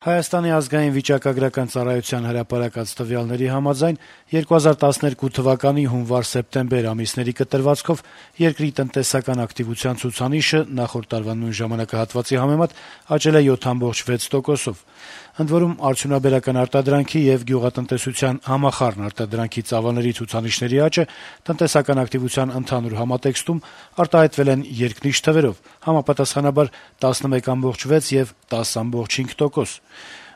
Հայաստանի ազգային վիճակագրական ծառայության հրապարակած տվյալների համաձայն 2012 թվականի հունվար-սեպտեմբեր ամիսների կտրվածքով երկրի տնտեսական ակտիվության ցուցանիշը նախորդ տարվա նույն ժամանակահատվածի համեմատ աճել է 7.6%-ով: Ընդ որում, արդյունաբերական արտադրանքի եւ գյուղատնտեսության համախառն արտադրանքի ծավալների ցուցանիշների աճը տնտեսական ակտիվության ընդհանուր համատեքստում արտահայտվել են երկնիշ թվերով, համապատասխանաբար 11.6 եւ 10.5%: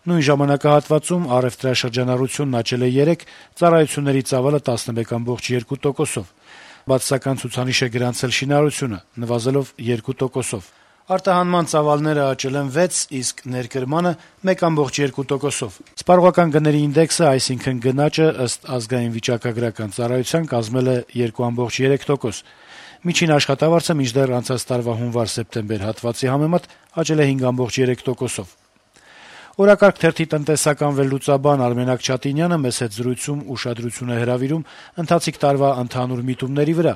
Նույն ժամանակահատվածում առեւտրաշրջանառությունն աճել է 3, ծառայությունների ծավալը 11.2%-ով: Բացասական ցուցանիշ է գրանցել շինարարությունը՝ նվազելով 2%-ով: Արտահանման ծավալները աճել են 6, իսկ ներկրմանը 1.2%-ով: Սպառողական գների ինդեքսը, այսինքն գնաճը, ըստ ազգային վիճակագրական ծառայության կազմել է 2.3%: Միջին աշխատավարձը, մինչդեռ անցած տարվա հունվար-սեպտեմբեր հատվածի համեմատ աճել է 5.3%-ով: «Օրակարգ» թերթի տնտեսական վերլուծաբան Արմենակ Չատինյանը մեծ հետ զրույցում ուշադրություն է հրավիրում ընթացիկ տարվա ընդհանուր միտումների վրա,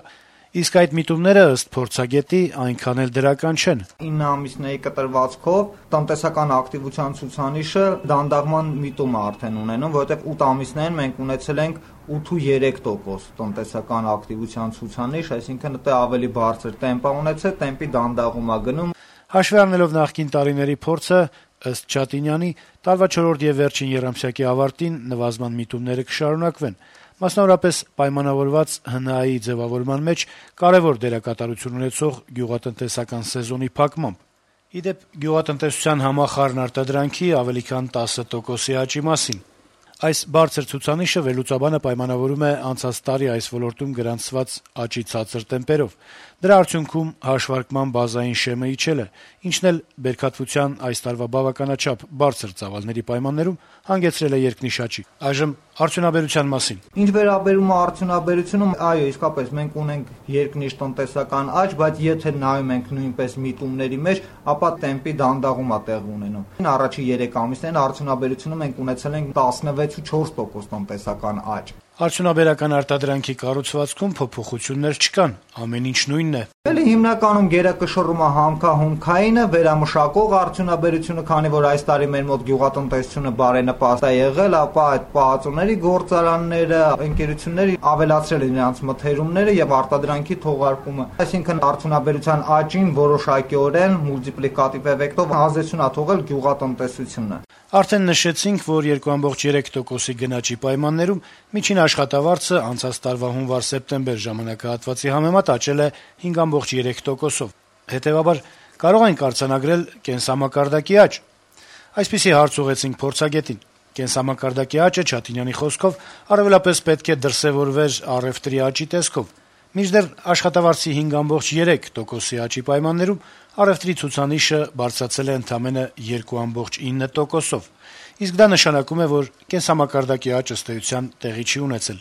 իսկ այդ միտումները, ըստ փորձագետի, այնքան էլ դրական չեն. 9 ամիսների կտրվածքով տնտեսական ակտիվության ցուցանիշը դանդաղման միտում է արդեն ունենում, որովհետև 8 ամիսներին մենք ունեցել ենք 8.3% տնտեսական ակտիվության ցուցանիշ, այսինքն դա ավելի բարձր տեմպ է ունեցել, տեմպի դանդաղում է գնում: Հաշվի առնելով նախկին տարիների փորձը, ըստ Չատինյանի, տարվա 4-րդ եւ վերջին եռամսյակի ավարտին նվազման միտումները կշարունակվեն, մասնավորապես պայմանավորված ՀՆԱ-ի ձեւավորման մեջ կարեւոր դերակատարություն ունեցող գյուղատնտեսական սեզոնի փակմամբ: Ի դեպ, գյուղատնտեսության համախառն արտադրանքի ավելի քան 10%-ի աճի մասին: Այս բարձր ցուցանիշը վերլուծաբանը պայմանավորում է անցած տարի այս ոլորտում գրանցված աճի ցածր տեմպերով: Դրա արդյունքում հաշվարկման բազային շեմը իջել է, ինչն էլ բերքատվության այս տարվա բավականաչափ բարձր ծավալների պայմաններում հանգեցրել է երկնիշ աճի: Այժմ արդյունաբերության մասին. Ինչ վերաբերում է արդյունաբերությունը, այո, իսկապես մենք ունենք երկնիշ տնտեսական աճ, բայց եթե նայում ենք նույնպես միտումների մեջ, ապա տեմպի դանդաղում է տեղի ունենում: Առաջին 3 ամիսներին արդյունաբերությունում մենք ունեցել ենք 16.4% տնտեսական աճ: Արդյունաբերական արտադրանքի կառուցվածքում փոփոխություններ չկան, ամեն ինչ նույնն է: Հիմնականում գերակշռում է համքահումքայինը, վերամշակող արդյունաբերությունը, քանի որ այս տարի մեր մոտ գյուղատնտեսությունը բարենպաստ է եղել, ապա այդ պահածոների գործարանները, ընկերությունները ավելացրել են իրենց մթերումները եւ արտադրանքի թողարկումը, այսինքն արդյունաբերության աճին որոշակիորեն մուլտիպլիկատիվ էֆեկտով ազդեցություն է թողել գյուղատնտեսությունը: Արդեն նշեցինք, որ 2.3%-ի գնաճի պայմաններում միջին աշխատավարձը անցած տարվա հունվար-սեպտեմբեր ժամանակահատվածի համեմատ աճել է 5.3%-ով: Հետեւաբար, կարո՞ղ ենք արձանագրել կենսամակարդակի աճ: Այսպիսի հարց ուղղեցինք փորձագետին: Կենսամակարդակի աճը, Չատինյանի խոսքով, առավելապես պետք է դրսեւորվեր առեւտրի աճի տեսքով: Մինչդեռ աշխատավարձի 5.3%-ի աճի պայմաններում առեւտրի ցուցանիշը բարձրացել է ընդամենը 2.9%-ով: Իսկ դա նշանակում է, որ կենսամակարդակի աճ, ըստ էության, տեղի չի ունեցել: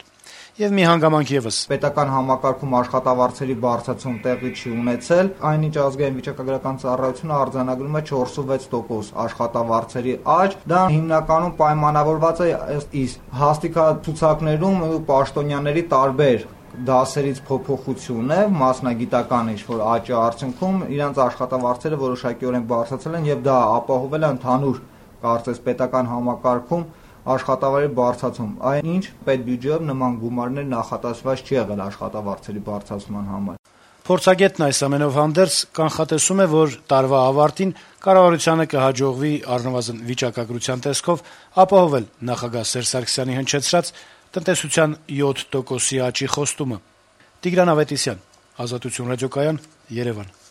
Եվ մի հանգամանք եւս. պետական համակարգում աշխատավարձերի բարձրացում տեղի չի ունեցել, այնինչ ազգային վիճակագրական ծառայությունը արձանագրում է 4.6% աշխատավարձերի աճ, դա հիմնականում պայմանավորված է ըստ իս հաստիկացուցակներում պաշտոնյաների տարբեր դասերից փոփոխություն է, մասնագիտական ինչ-որ աճի արդյունքում իրենց աշխատավարձերը որոշակիորեն բարձրացել են եւ դա ապահովել է ընդհանուր, կարծես, պետական համակարգում աշխատավարձերի բարձրացում, այնինչ պետբյուջեով նման գումարներ նախատեսված չի եղել աշխատավարձերի բարձրացման համար: Փորձագետն այս ամենով հանդերձ կանխատեսում է, որ տարվա ավարտին կառավարությանը կհաջողվի առնվազն վիճակագրության տեսքով ապահովել նախագահ Սերժ Սարգսյանի հնչեցրած տնտեսության 7%-ի աճի խոստումը: Տիգրան Ավետիսյան, Ազատություն ռադիոկայան, Երևան: